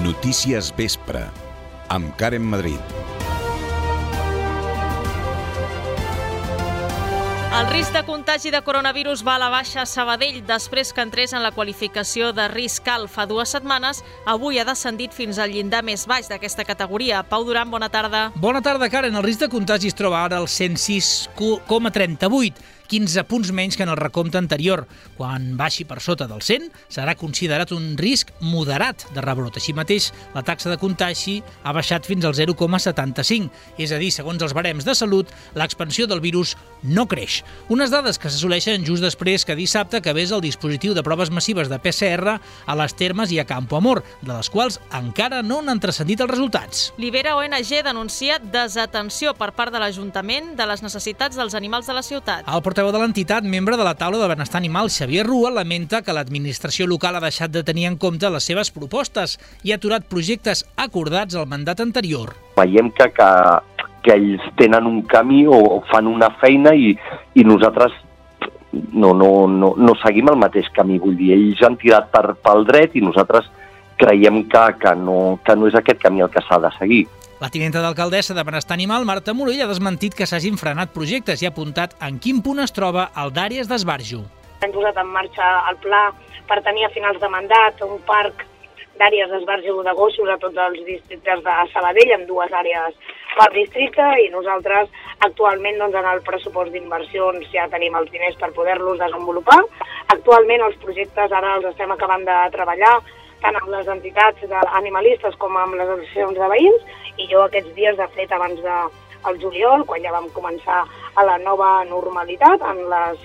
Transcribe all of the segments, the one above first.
Notícies Vespre, amb Karen Madrid. El risc de contagi de coronavirus va a la baixa a Sabadell després que entrés en la qualificació de risc alt fa 2 setmanes. Avui ha descendit fins al llindar més baix d'aquesta categoria. Pau Duran, bona tarda. Bona tarda, Karen. El risc de contagi es troba ara al 106,38, 15 punts menys que en el recompte anterior. Quan baixi per sota del 100, serà considerat un risc moderat de rebrot. Així mateix, la taxa de contagi ha baixat fins al 0,75. És a dir, segons els barems de salut, l'expansió del virus no creix. Unes dades que s'assoleixen just després que dissabte acabés el dispositiu de proves massives de PCR a les Termes i a Campo Amor, de les quals encara no n'han transcendit els resultats. Libera ONG denuncia desatenció per part de l'Ajuntament de les necessitats dels animals de la ciutat. El portaveu de l'entitat, membre de la taula de benestar animal, Xavier Rua, lamenta que l'administració local ha deixat de tenir en compte les seves propostes i ha aturat projectes acordats al mandat anterior. Veiem que ells tenen un camí o fan una feina i nosaltres no seguim el mateix camí. Vull dir, ells han tirat pel dret i nosaltres creiem que no és aquest camí el que s'ha de seguir. La tinenta d'alcaldessa de Benestar Animal, Marta Morell, ha desmentit que s'hagin frenat projectes i ha apuntat en quin punt es troba el d'àrees d'esbarjo. Hem posat en marxa el pla per tenir a finals de mandat un parc d'àrees d'esbarjo de gossos a tots els districtes de Sabadell, amb 2 àrees per districte, i nosaltres actualment en el pressupost d'inversions ja tenim els diners per poder-los desenvolupar. Actualment els projectes ara els estem acabant de treballar tant amb les entitats animalistes com amb les associacions de veïns, i jo aquests dies, de fet, abans del juliol, quan ja vam començar a la nova normalitat, en les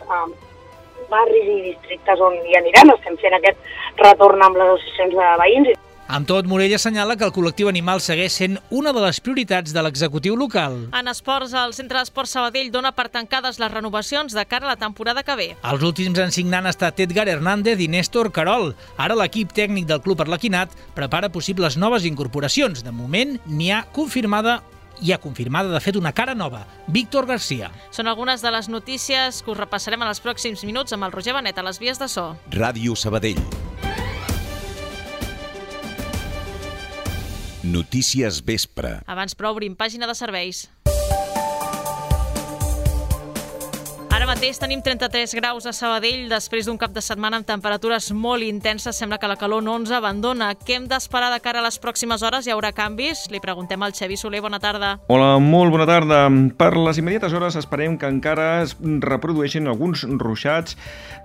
barris i districtes on hi anirem, estem fent aquest retorn amb les associacions de veïns. Amb tot, Morell assenyala que el col·lectiu animal segueix sent una de les prioritats de l'executiu local. En esports, el Centre d'Esports Sabadell dona per tancades les renovacions de cara a la temporada que ve. Els últims en signar han estat Edgar Hernández i Néstor Carol. Ara l'equip tècnic del Club Arlequinat prepara possibles noves incorporacions. De moment, hi ha confirmada de fet una cara nova, Víctor García. Són algunes de les notícies que us repassarem en els pròxims minuts amb el Roger Benet a les vies de so. Ràdio Sabadell. Notícies Vespre. Abans, però, obrim pàgina de serveis. Ara mateix tenim 33 graus a Sabadell després d'un cap de setmana amb temperatures molt intenses. Sembla que la calor no ens abandona. Què hem d'esperar de cara a les pròximes hores? Hi haurà canvis? Li preguntem al Xavi Soler. Bona tarda. Hola, molt bona tarda. Per les immediates hores esperem que encara es reprodueixin alguns ruixats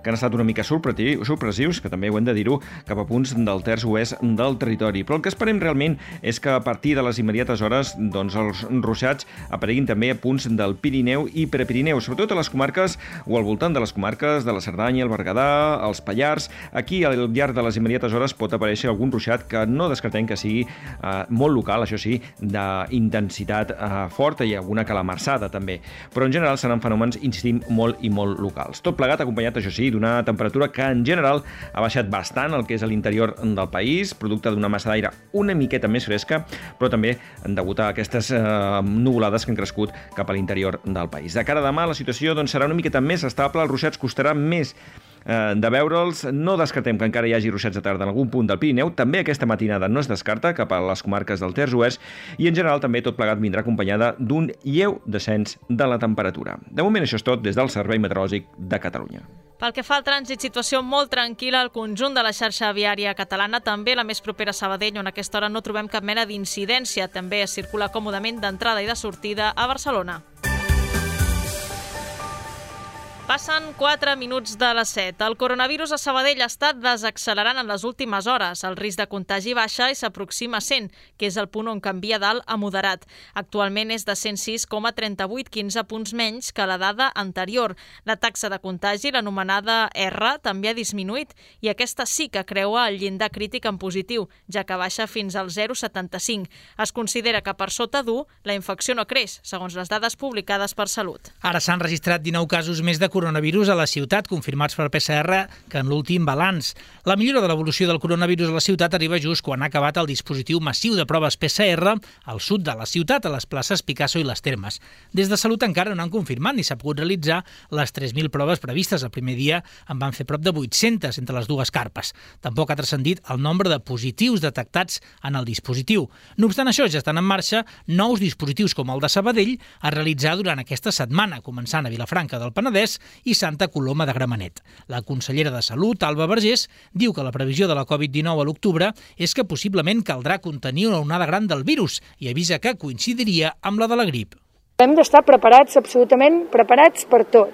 que han estat una mica sorpressius, que també ho hem de dir-ho, cap a punts del terç oest del territori. Però el que esperem realment és que a partir de les immediates hores els ruixats apareguin també a punts del Pirineu i Prepirineu, sobretot a les comarques o al voltant de les comarques de la Cerdanya, el Berguedà, els Pallars. Aquí, al llarg de les immediates hores, pot aparèixer algun ruixat que no descartem que sigui molt local, això sí, d'intensitat forta, i alguna calamarsada també. Però en general seran fenòmens, insistim, molt i molt locals. Tot plegat acompanyat, això sí, d'una temperatura que en general ha baixat bastant el que és a l'interior del país, producte d'una massa d'aire una miqueta més fresca, però també degut a aquestes nuvolades que han crescut cap a l'interior del país. De cara a demà, la situació serà una miqueta més estable, els ruixats costarà més de veure'ls. No descartem que encara hi hagi ruixats de tarda en algun punt del Pirineu. També aquesta matinada no es descarta cap a les comarques del terç oest, i en general també tot plegat vindrà acompanyada d'un lleu descens de la temperatura. De moment això és tot des del Servei Meteorològic de Catalunya. Pel que fa al trànsit, situació molt tranquil·la al conjunt de la xarxa viària catalana, també la més propera a Sabadell, on a aquesta hora no trobem cap mena d'incidència. També es circula còmodament d'entrada i de sortida a Barcelona. Passen 4 minuts de les 7. El coronavirus a Sabadell està desaccelerant en les últimes hores. El risc de contagi baixa i s'aproxima a 100, que és el punt on canvia d'alt a moderat. Actualment és de 106,38, 15 punts menys que la dada anterior. La taxa de contagi, l'anomenada R, també ha disminuït, i aquesta sí que creua el llindar crític en positiu, ja que baixa fins al 0,75. Es considera que per sota d'1 la infecció no creix, segons les dades publicades per Salut. Ara s'han registrat 19 casos més de coronavirus a la ciutat, confirmats per PCR que en l'últim balanç. La millora de l'evolució del coronavirus a la ciutat arriba just quan ha acabat el dispositiu massiu de proves PCR al sud de la ciutat, a les places Picasso i les Termes. Des de Salut encara no han confirmat ni s'ha pogut realitzar les 3.000 proves previstes. El primer dia en van fer prop de 800 entre les dues carpes. Tampoc ha transcendit el nombre de positius detectats en el dispositiu. No obstant això, ja estan en marxa nous dispositius com el de Sabadell a realitzar durant aquesta setmana, començant a Vilafranca del Penedès i Santa Coloma de Gramenet. La consellera de Salut, Alba Vergés, diu que la previsió de la Covid-19 a l'octubre és que possiblement caldrà contenir una onada gran del virus i avisa que coincidiria amb la de la grip. Hem d'estar preparats, absolutament preparats per tot.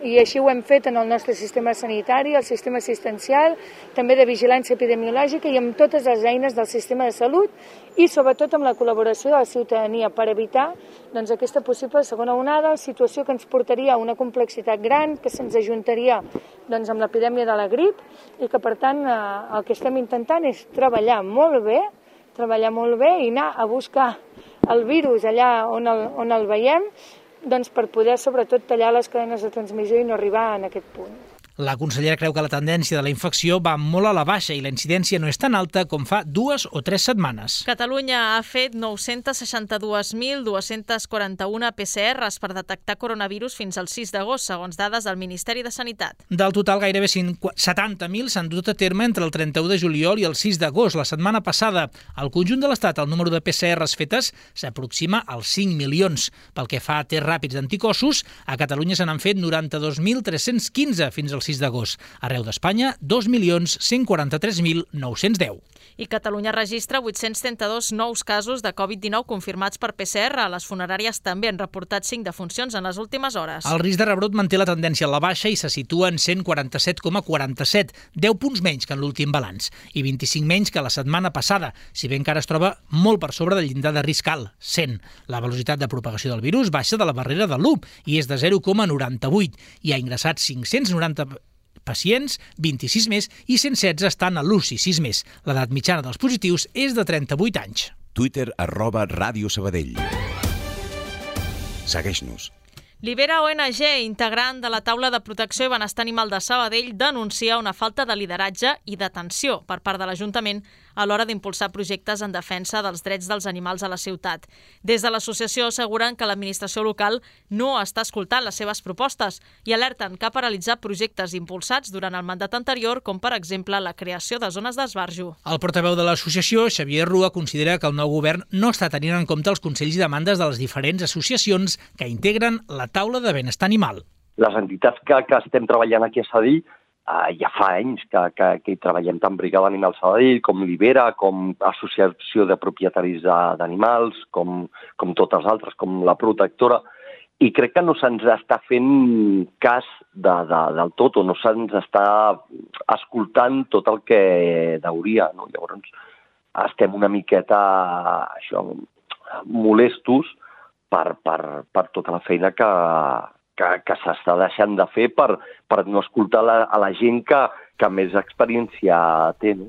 I així ho hem fet en el nostre sistema sanitari, el sistema assistencial, també de vigilància epidemiològica i amb totes les eines del sistema de salut i sobretot amb la col·laboració de la ciutadania per evitar aquesta possible segona onada, situació que ens portaria a una complexitat gran, que se'ns ajuntaria amb l'epidèmia de la grip i que per tant el que estem intentant és treballar molt bé i anar a buscar el virus allà on el veiem, per poder, sobretot, tallar les cadenes de transmissió i no arribar en aquest punt. La consellera creu que la tendència de la infecció va molt a la baixa i la incidència no és tan alta com fa 2 o 3 setmanes. Catalunya ha fet 962.241 PCRs per detectar coronavirus fins al 6 d'agost, segons dades del Ministeri de Sanitat. Del total, gairebé 70.000 s'han dut a terme entre el 31 de juliol i el 6 d'agost. La setmana passada, al conjunt de l'Estat, el número de PCRs fetes s'aproxima als 5 milions. Pel que fa a tests ràpids d'anticossos, a Catalunya se n'han fet 92.315 fins al 6 d'agost. Arreu d'Espanya, 2.143.910. I Catalunya registra 832 nous casos de Covid-19 confirmats per PCR. Les funeràries també han reportat 5 defuncions en les últimes hores. El risc de rebrot manté la tendència a la baixa i se situa en 147,47, 10 punts menys que en l'últim balanç i 25 menys que la setmana passada, si bé encara es troba molt per sobre del llindar de risc alt, 100. La velocitat de propagació del virus baixa de la barrera de l'1 i és de 0,98. Hi ha ingressats 590 pacients, 26 més, i 116 estan a l'UCI, 6 més. L'edat mitjana dels positius és de 38 anys. Twitter @Ràdio Sabadell. Segueix-nos. Libera ONG, integrant de la taula de protecció i benestar animal de Sabadell, denuncia una falta de lideratge i d'atenció per part de l'Ajuntament a l'hora d'impulsar projectes en defensa dels drets dels animals a la ciutat. Des de l'associació asseguren que l'administració local no està escoltant les seves propostes i alerten que ha paralitzat projectes impulsats durant el mandat anterior, com per exemple la creació de zones d'esbarjo. El portaveu de l'associació, Xavier Rua, considera que el nou govern no està tenint en compte els consells i demandes de les diferents associacions que integren la taula de benestar animal. Les entitats que estem treballant aquí a Sabadell ja fa anys que hi treballem tant Brigada Animal Sabadell, com Libera, com Associació de Propietaris d'Animals, com totes les altres, com la Protectora, i crec que no se'ns està fent cas del tot, o no se'ns està escoltant tot el que hauria, no? Llavors estem una miqueta molestos per tota la feina que s'està deixant de fer per no escoltar a la gent que més experiència té, no?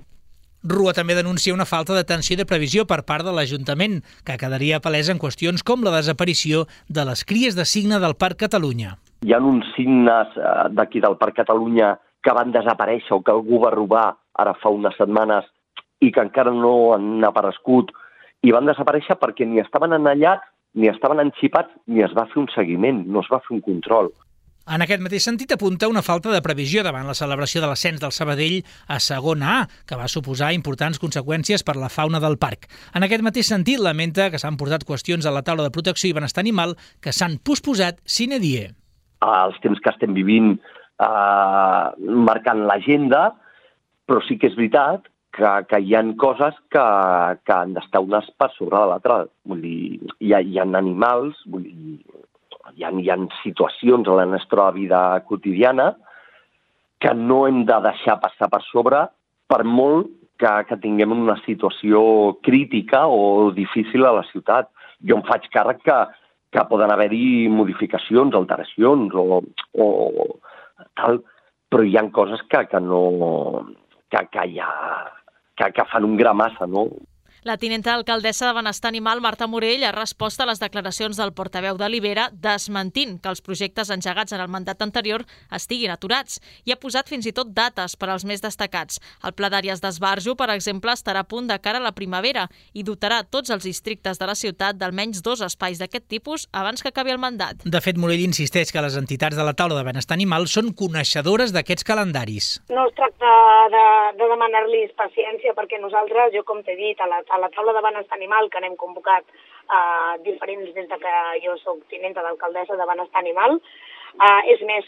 Rua també denuncia una falta d'atenció i de previsió per part de l'Ajuntament, que quedaria palesa en qüestions com la desaparició de les cries de cigne del Parc Catalunya. Hi ha uns cignes d'aquí del Parc Catalunya que van desaparèixer o que algú va robar ara fa unes setmanes i que encara no han aparegut i van desaparèixer perquè ni estaven enallats, ni estaven enxipats, ni es va fer un seguiment, no es va fer un control. En aquest mateix sentit apunta una falta de previsió davant la celebració de l'ascens del Sabadell a segona A, que va suposar importants conseqüències per la fauna del parc. En aquest mateix sentit, lamenta que s'han portat qüestions a la taula de protecció i benestar animal que s'han posposat sine die. Els temps que estem vivint marcant l'agenda, però sí que és veritat que hi ha coses que han d'estar unes per sobre de l'altra. Vull dir, hi ha animals, vull dir, hi ha situacions a la nostra vida quotidiana que no hem de deixar passar per sobre per molt que tinguem una situació crítica o difícil a la ciutat. Jo em faig càrrec que poden haver-hi modificacions, alteracions o tal, però hi ha coses que fan un gra massa, no? La tinenta alcaldessa de Benestar Animal, Marta Morell, ha respost a les declaracions del portaveu de Libera desmentint que els projectes engegats en el mandat anterior estiguin aturats i ha posat fins i tot dates per als més destacats. El Pla d'Àrees d'Esbarjo, per exemple, estarà a punt de cara a la primavera i dotarà tots els districtes de la ciutat d'almenys 2 espais d'aquest tipus abans que acabi el mandat. De fet, Morell insisteix que les entitats de la taula de benestar animal són coneixedores d'aquests calendaris. No es tracta de demanar-los paciència, perquè nosaltres, jo com t'he dit, a la taula de benestar animal que n'hem convocat diferents des de que jo soc tinenta d'alcaldessa de benestar animal, és més,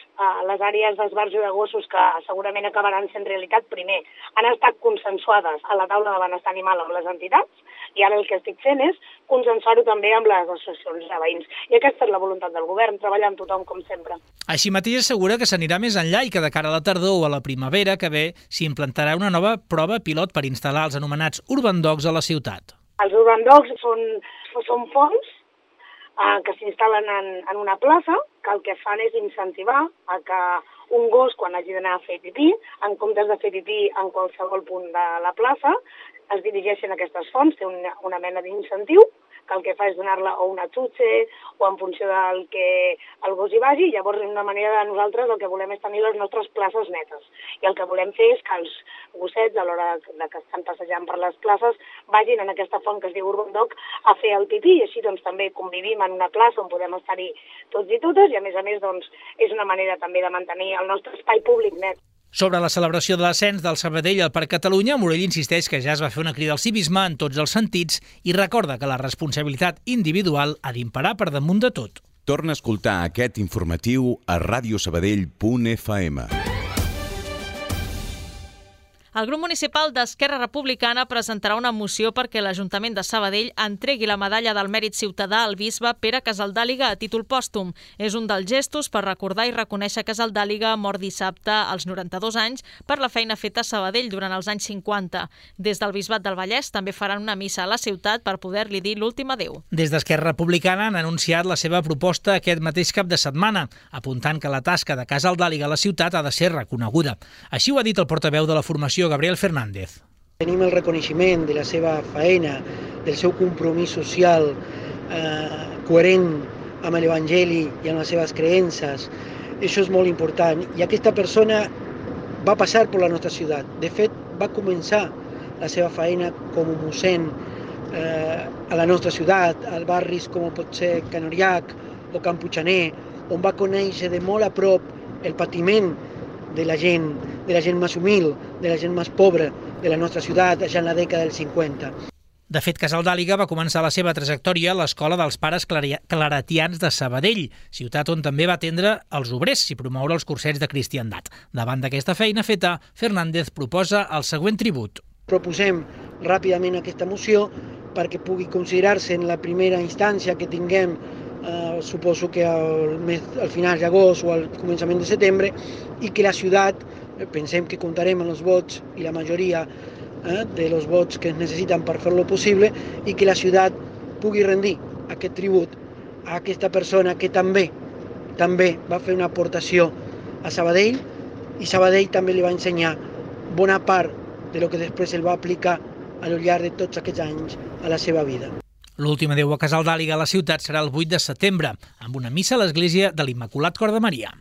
les àrees d'esbarjo de gossos que segurament acabaran sent realitat, primer, han estat consensuades a la taula de benestar animal amb les entitats, i ara el que estic fent és consensuar-ho també amb les associacions de veïns. I aquesta és la voluntat del govern, treballar amb tothom com sempre. Així mateix assegura que s'anirà més enllà i que de cara a la tardor o a la primavera que ve s'implantarà una nova prova pilot per instal·lar els anomenats Urban Dogs a la ciutat. Els Urban Dogs són fonts que s'instal·len en una plaça, que el que fan és incentivar a que un gos, quan hagi d'anar a fer pipí, en comptes de fer pipí en qualsevol punt de la plaça, es dirigeixen a aquestes fonts, té una mena d'incentiu, que el que fa és donar-la o una xutxe o en funció del que el gos hi vagi, i llavors una manera de nosaltres el que volem és tenir les nostres places netes. I el que volem fer és que els gossets, a l'hora que estan passejant per les places, vagin en aquesta font que es diu Urban Dog a fer el pipí, i així doncs també convivim en una plaça on podem estar-hi tots i totes, i a més doncs, és una manera també de mantenir el nostre espai públic net. Sobre la celebració de l'ascens del Sabadell al Parc Catalunya, Morell insisteix que ja es va fer una crida al civisme en tots els sentits i recorda que la responsabilitat individual ha d'imperar per damunt de tot. Torna a escoltar aquest informatiu a radiosabadell.fm. El grup municipal d'Esquerra Republicana presentarà una moció perquè l'Ajuntament de Sabadell entregui la medalla del mèrit ciutadà al bisbe Pere Casaldàliga a títol pòstum. És un dels gestos per recordar i reconèixer Casaldàliga, mort dissabte als 92 anys, per la feina feta a Sabadell durant els anys 50. Des del Bisbat del Vallès també faran una missa a la ciutat per poder-li dir l'últim adéu. Des d'Esquerra Republicana han anunciat la seva proposta aquest mateix cap de setmana, apuntant que la tasca de Casaldàliga a la ciutat ha de ser reconeguda. Així ho ha dit el portaveu de la formació, Gabriel Fernández. Tenim el reconeixement de la seva feina, del seu compromís social coherent amb l'Evangeli i amb les seves creences. Això és molt important. I aquesta persona va passar per la nostra ciutat. De fet, va començar la seva feina com a mossèn a la nostra ciutat, als barris com pot ser Canoriac o Can Puiggener, on va conèixer de molt a prop el patiment de la gent més humil, de la gent més pobra de la nostra ciutat, ja en la dècada dels 50. De fet, Casaldàliga va començar la seva trajectòria a l'Escola dels Pares Claretians de Sabadell, ciutat on també va atendre els obrers i promoure els cursets de cristiandat. Davant d'aquesta feina feta, Fernández proposa el següent tribut. Proposem ràpidament aquesta moció perquè pugui considerar-se en la primera instància que tinguem, suposo que al final d'agost o al començament de setembre, i que la ciutat, pensem que comptarem amb els vots i la majoria de los vots que es necessiten per fer-lo possible, i que la ciutat pugui rendir aquest tribut a aquesta persona que també va fer una aportació a Sabadell, i Sabadell també li va ensenyar bona part de lo que després el va aplicar al llarg de tots aquests anys a la seva vida. L'últim adéu a Casaldàliga a la ciutat serà el 8 de setembre, amb una missa a l'església de l'Immaculat Cor de Maria.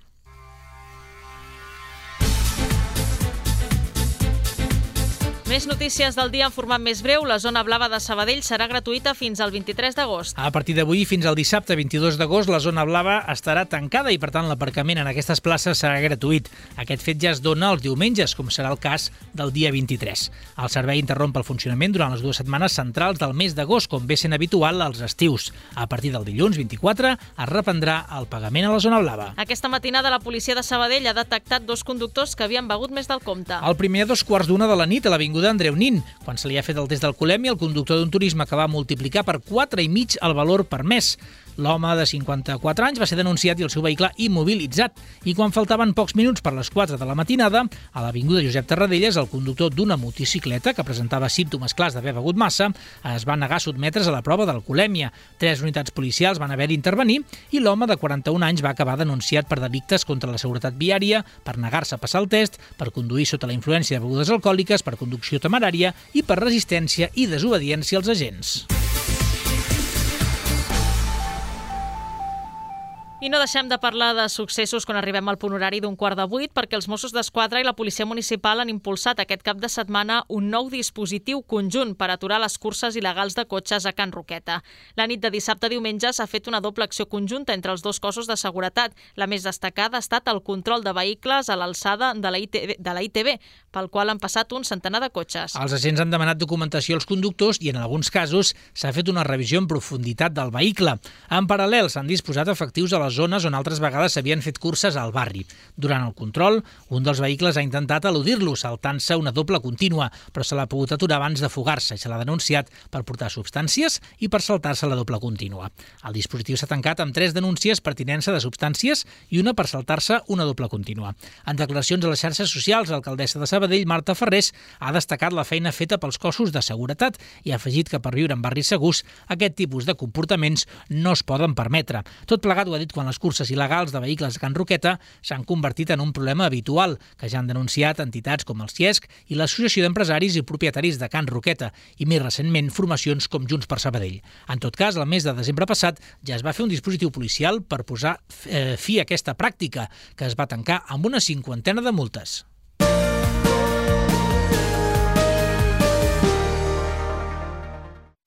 Més notícies del dia en format més breu. La zona blava de Sabadell serà gratuïta fins al 23 d'agost. A partir d'avui fins al dissabte 22 d'agost la zona blava estarà tancada i per tant l'aparcament en aquestes places serà gratuït. Aquest fet ja es dona els diumenges, com serà el cas del dia 23. El servei interromp el funcionament durant les 2 setmanes centrals del mes d'agost, com ve sent habitual als estius. A partir del dilluns 24 es reprendrà el pagament a la zona blava. Aquesta matinada la policia de Sabadell ha detectat 2 conductors que havien begut més del compte. El primer a 2:15 de la nit a l'avinguda Andreu Nin, quan se li ha fet el test d'alcoholèmia, el conductor d'un turisme que va multiplicar per 4,5 el valor permès. L'home de 54 anys va ser denunciat i el seu vehicle immobilitzat. I quan faltaven pocs minuts per les 4 de la matinada, a l'avinguda Josep Tarradellas, el conductor d'una motocicleta que presentava símptomes clars d'haver begut massa es va negar a sotmetre's a la prova d'alcoholèmia. 3 unitats policials van haver d'intervenir i l'home de 41 anys va acabar denunciat per delictes contra la seguretat viària, per negar-se a passar el test, per conduir sota la influència de begudes alcohòliques, per conducció temerària i per resistència i desobediència als agents. I no deixem de parlar de successos quan arribem al punt horari d'un 7:15 perquè els Mossos d'Esquadra i la Policia Municipal han impulsat aquest cap de setmana un nou dispositiu conjunt per aturar les curses il·legals de cotxes a Can Roqueta. La nit de dissabte a diumenge s'ha fet una doble acció conjunta entre els dos cossos de seguretat. La més destacada ha estat el control de vehicles a l'alçada de la ITB, pel qual han passat un centenar de cotxes. Els agents han demanat documentació als conductors i en alguns casos s'ha fet una revisió en profunditat del vehicle. En paral·lel s'han disposat efectius a les zones on altres vegades s'havien fet curses al barri. Durant el control, un dels vehicles ha intentat eludir-lo, saltant-se una doble contínua, però se l'ha pogut aturar abans de fugar-se i se l'ha denunciat per portar substàncies i per saltar-se la doble contínua. El dispositiu s'ha tancat amb 3 denúncies per tinença de substàncies i una per saltar-se una doble contínua. En declaracions a les xarxes socials, l'alcaldessa de Sabadell, Marta Ferrés, ha destacat la feina feta pels cossos de seguretat i ha afegit que per viure en barris segurs aquest tipus de comportaments no es poden permetre. Tot plegat ho ha dit quan les curses il·legals de vehicles a Can Roqueta s'han convertit en un problema habitual, que ja han denunciat entitats com el CIESC i l'Associació d'Empresaris i Propietaris de Can Roqueta, i més recentment formacions com Junts per Sabadell. En tot cas, el mes de desembre passat ja es va fer un dispositiu policial per posar fi a aquesta pràctica, que es va tancar amb una 50 de multes.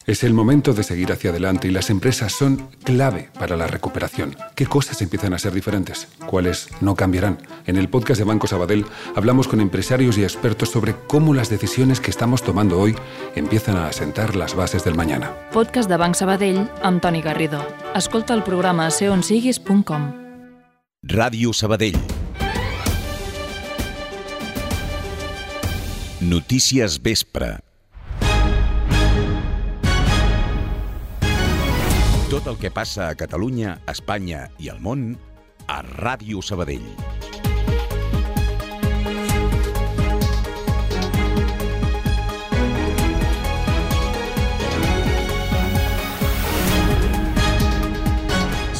Es el momento de seguir hacia adelante y las empresas son clave para la recuperación. ¿Qué cosas empiezan a ser diferentes? ¿Cuáles no cambiarán? En el podcast de Banco Sabadell hablamos con empresarios y expertos sobre cómo las decisiones que estamos tomando hoy empiezan a asentar las bases del mañana. Podcast de Banc Sabadell amb Toni Garrido. Escolta el programa a seonsiguis.com. Ràdio Sabadell. Notícies Vespre. Tot el que passa a Catalunya, Espanya i al món a Ràdio Sabadell.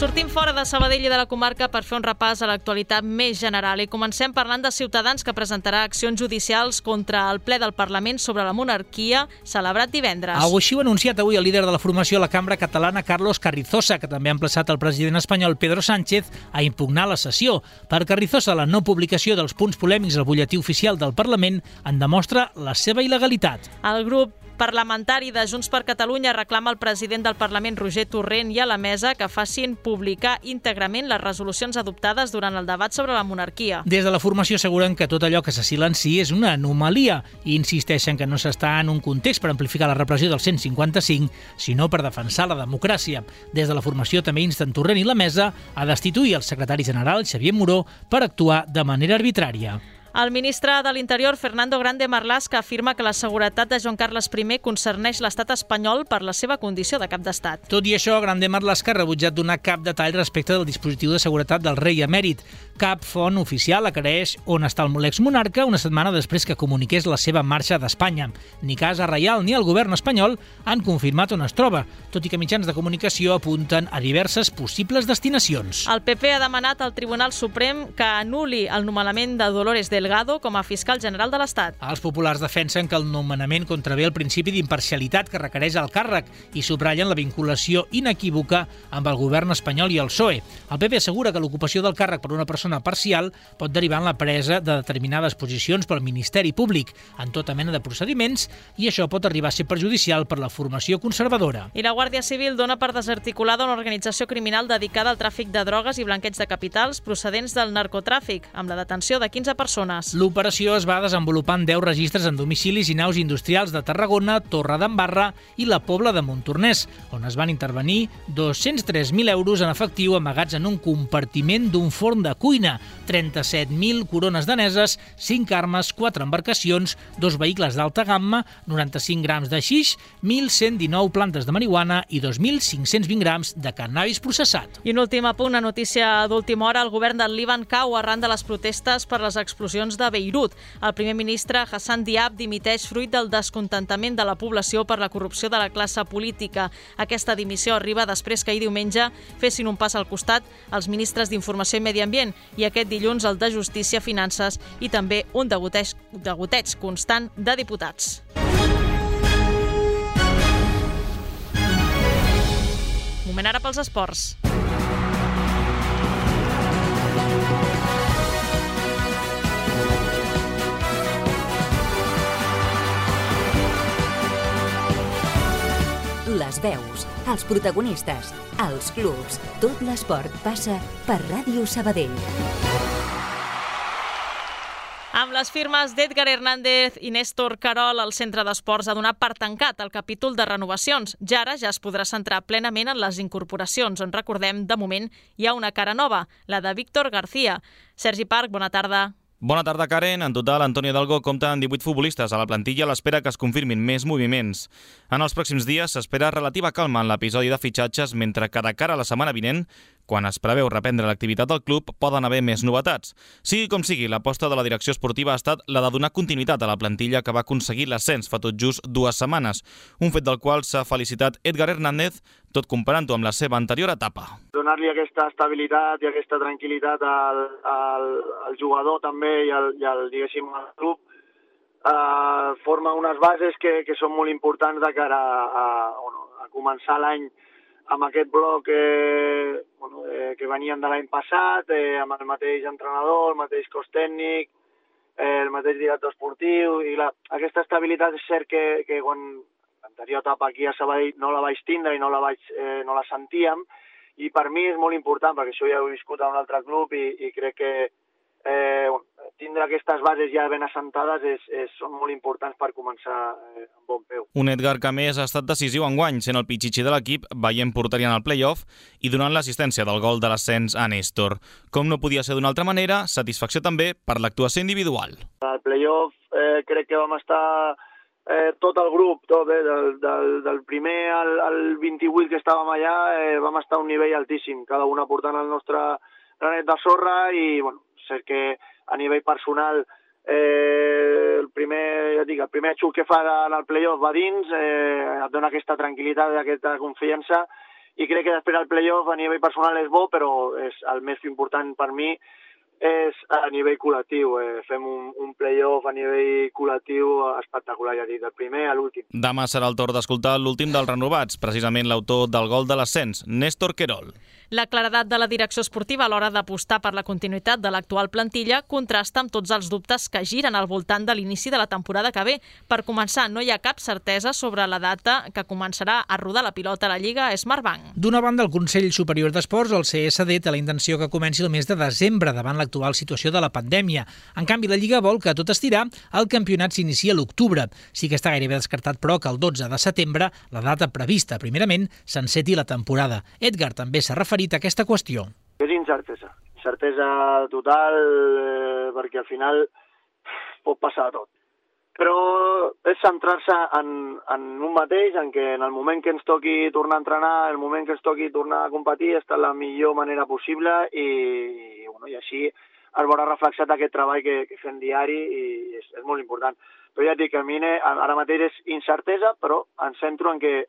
Sortim fora de Sabadell i de la comarca per fer un repàs a l'actualitat més general i comencem parlant de Ciutadans, que presentarà accions judicials contra el ple del Parlament sobre la monarquia celebrat divendres. Així ho ha anunciat avui el líder de la formació a la cambra catalana, Carlos Carrizosa, que també ha emplaçat el president espanyol Pedro Sánchez a impugnar la sessió. Per Carrizosa, la no publicació dels punts polèmics al butlletí oficial del Parlament en demostra la seva il·legalitat. El grup parlamentari de Junts per Catalunya reclama al president del Parlament, Roger Torrent, i a la mesa que facin publicar íntegrament les resolucions adoptades durant el debat sobre la monarquia. Des de la formació asseguren que tot allò que se silencia és una anomalia i insisteixen que no s'està en un context per amplificar la repressió del 155, sinó per defensar la democràcia. Des de la formació també insten Torrent i la mesa a destituir el secretari general, Xavier Moró, per actuar de manera arbitrària. El ministre de l'Interior, Fernando Grande Marlaska, afirma que la seguretat de Joan Carles I concerneix l'estat espanyol per la seva condició de cap d'estat. Tot i això, Grande Marlaska ha rebutjat donar cap detall respecte del dispositiu de seguretat del rei emèrit. Cap font oficial aclareix on està l'exmonarca una setmana després que comuniqués la seva marxa d'Espanya. Ni Casa Reial ni el govern espanyol han confirmat on es troba, tot i que mitjans de comunicació apunten a diverses possibles destinacions. El PP ha demanat al Tribunal Suprem que anul·li el nomenament de Dolores Delgado com a fiscal general de l'Estat. Els populars defensen que el nomenament contravé el principi d'imparcialitat que requereix el càrrec i subratllen la vinculació inequívoca amb el govern espanyol i el PSOE. El PP assegura que l'ocupació del càrrec per una persona parcial pot derivar en la presa de determinades posicions pel Ministeri Públic en tota mena de procediments i això pot arribar a ser perjudicial per la formació conservadora. I la Guàrdia Civil dona per desarticulada una organització criminal dedicada al tràfic de drogues i blanqueig de capitals procedents del narcotràfic, amb la detenció de 15 persones. persones. L'operació es va desenvolupar en 10 registres en domicilis i naus industrials de Tarragona, Torredembarra i la Pobla de Montornès, on es van intervenir 203.000 euros en efectiu amagats en un compartiment d'un forn de cuina, 37.000 corones daneses, 5 armes, 4 embarcacions, 2 vehicles d'alta gamma, 95 grams de xix, 1.119 plantes de marihuana i 2.520 grams de cannabis processat. I un últim apunt, una notícia d'última hora, el govern del Líban cau arran de les protestes per les explosions de Beirut. El primer ministre Hassan Diab dimiteix fruit del descontentament de la població per la corrupció de la classe política. Aquesta dimissió arriba després que ahir diumenge fessin un pas al costat els ministres d'Informació i Medi Ambient i aquest dilluns el de Justícia, Finances i també un degoteig constant de diputats. Moment ara pels esports. Les veus, els protagonistes, els clubs, tot l'esport passa per Ràdio Sabadell. Amb les firmes d'Edgar Hernández i Néstor Querol, el Centre d'Esports ha donat per tancat el capítol de renovacions. Ja ara ja es podrà centrar plenament en les incorporacions, on recordem, de moment, hi ha una cara nova, la de Víctor García. Sergi Parc, bona tarda. Bona tarda, Karen. En total, Antonio Hidalgo compta amb 18 futbolistes a la plantilla a l'espera que es confirmin més moviments. En els pròxims dies s'espera relativa calma en l'episodi de fitxatges, mentre que de cara a la setmana vinent, quan es preveu reprendre l'activitat del club, poden haver més novetats. Sigui com sigui, l'aposta de la direcció esportiva ha estat la de donar continuïtat a la plantilla que va aconseguir l'ascens fa tot just 2 setmanes, un fet del qual s'ha felicitat Edgar Hernández, tot comparant-ho amb la seva anterior etapa. Donar-li aquesta estabilitat i aquesta tranquil·litat al jugador també diguéssim, al club forma unes bases que són molt importants de cara a començar l'any amb aquest bloc que venien de l'any passat, amb el mateix entrenador, el mateix cos tècnic, el mateix director esportiu, i aquesta estabilitat és cert que quan l'anterior etapa aquí a Sabadell no la vaig tindre i no la sentíem, i per mi és molt important, perquè això ja ho he viscut a un altre club i crec que tindre aquestes bases ja ben assentades són molt importants per començar amb bon peu. Un Edgar que més ha estat decisiu enguany, sent el pitxitxi de l'equip, veient porteria en el play-off i donant l'assistència del gol de l'ascens a Néstor. Com no podia ser d'una altra manera, satisfacció també per l'actuació individual. Al play-off crec que vam estar tot el grup, del primer al 28 que estàvem allà, vam estar a un nivell altíssim, cada un aportant el nostre granet de sorra i, bueno, cert que a nivell personal el primer xut que fa en el play-off va dins, et dona aquesta tranquil·litat, aquesta confiança, i crec que després el play-off a nivell personal és bo, però el més important per mi és a nivell col·lectiu. Fem un play-off a nivell col·lectiu espectacular, ja dic, del primer a l'últim. Demà serà el torn d'escoltar l'últim dels renovats, precisament l'autor del gol de l'ascens, Néstor Querol. La claredat de la direcció esportiva a l'hora d'apostar per la continuïtat de l'actual plantilla contrasta amb tots els dubtes que giren al voltant de l'inici de la temporada que ve. Per començar, no hi ha cap certesa sobre la data que començarà a rodar la pilota a la Lliga Smartbank. D'una banda, el Consell Superior d'Esports, el CSD, té la intenció que comenci el mes de desembre davant l'actual situació de la pandèmia. En canvi, la Lliga vol que, tot estirar, el campionat s'inicia a l'octubre. Sí que està gairebé descartat, però, que el 12 de setembre, la data prevista primerament, s'enceti la temporada. Edgar també s'ha referit a aquesta qüestió. És incertesa total, perquè al final pot passar tot. Però és centrar-se en un mateix, en què en el moment que ens toqui tornar a entrenar, en el moment que ens toqui tornar a competir, està la millor manera possible i així es veurà reflexat aquest treball que fem diari i és molt important. Però ja et dic que a mi ara mateix és incertesa, però em centro en que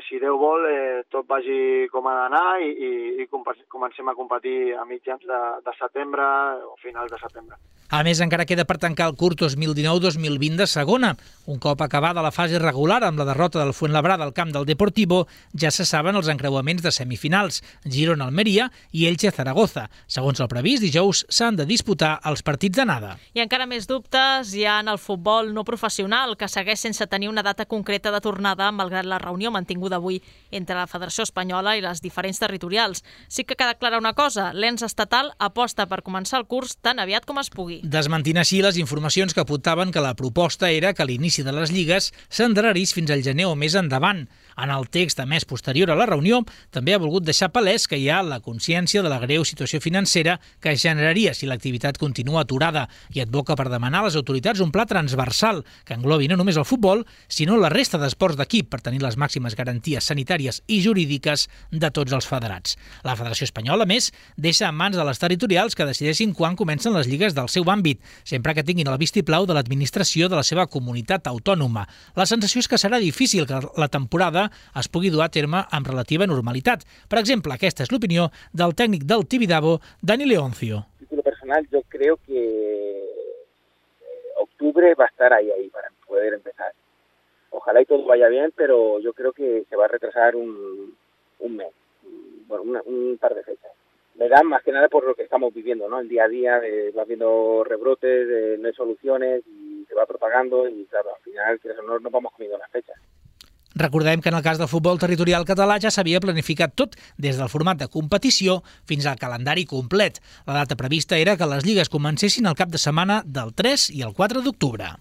si Déu vol, tot vagi com ha d'anar i comencem a competir a mitjans de setembre o finals de setembre. A més, encara queda per tancar el curs 2019-2020 de segona. Un cop acabada la fase regular amb la derrota del Fuenlabrada al camp del Deportivo, ja se saben els encreuaments de semifinals, Girona-Almeria i Elche-Zaragoza. Segons el previst, dijous s'han de disputar els partits d'anada. I encara més dubtes hi ha en el futbol no professional, que segueix sense tenir una data concreta de tornada, malgrat la reunió mantinguda avui entre la Federació Espanyola i les diferents territorials. Sí que queda clara una cosa, l'ens estatal aposta per començar el curs tan aviat com es pugui. Desmentint així les informacions que apuntaven que la proposta era que l'inici de les lligues s'endarrerís fins al gener o més endavant. En el text emès posterior a la reunió, també ha volgut deixar palès que hi ha la consciència de la greu situació financera que es generaria si l'activitat continua aturada i advoca per demanar a les autoritats un pla transversal que englobi no només el futbol, sinó la resta d'esports d'equip per tenir les màximes garanties sanitàries i jurídiques de tots els federats. La Federació Espanyola, a més, deixa en mans de les territorials que decideixin quan comencen les lligues del seu àmbit, sempre que tinguin el vistiplau de l'administració de la seva comunitat autònoma. La sensació és que serà difícil que la temporada es pugui dur a terme amb relativa normalitat. Per exemple, aquesta és l'opinió del tècnic del Tibidabo, Dani Leoncio. A título personal, yo creo que octubre va a estar ahí para poder empezar. Ojalá y todo vaya bien, pero yo creo que se va a retrasar un mes, bueno, un par de fechas. Me da más que nada por lo que estamos viviendo, ¿no? El día a día, vas viendo rebrotes, no hay soluciones y se va propagando y claro, al final no nos vamos comiendo las fechas. Recordem que en el cas del futbol territorial català ja s'havia planificat tot, des del format de competició fins al calendari complet. La data prevista era que les lligues comencessin el cap de setmana del 3 i el 4 d'octubre.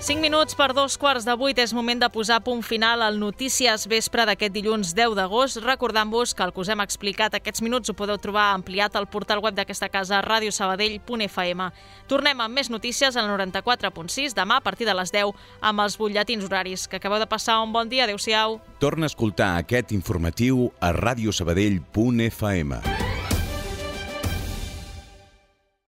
5 minuts per 7:45 és moment de posar punt final al Notícies Vespre d'aquest dilluns 10 d'agost, recordant-vos que el que us hem explicat aquests minuts ho podeu trobar ampliat al portal web d'aquesta casa, radiosabadell.fm. Tornem amb més notícies al 94.6 demà a partir de les 10 amb els butlletins horaris. Que acabeu de passar un bon dia. Adéu-siau. Torna a escoltar aquest informatiu a radiosabadell.fm.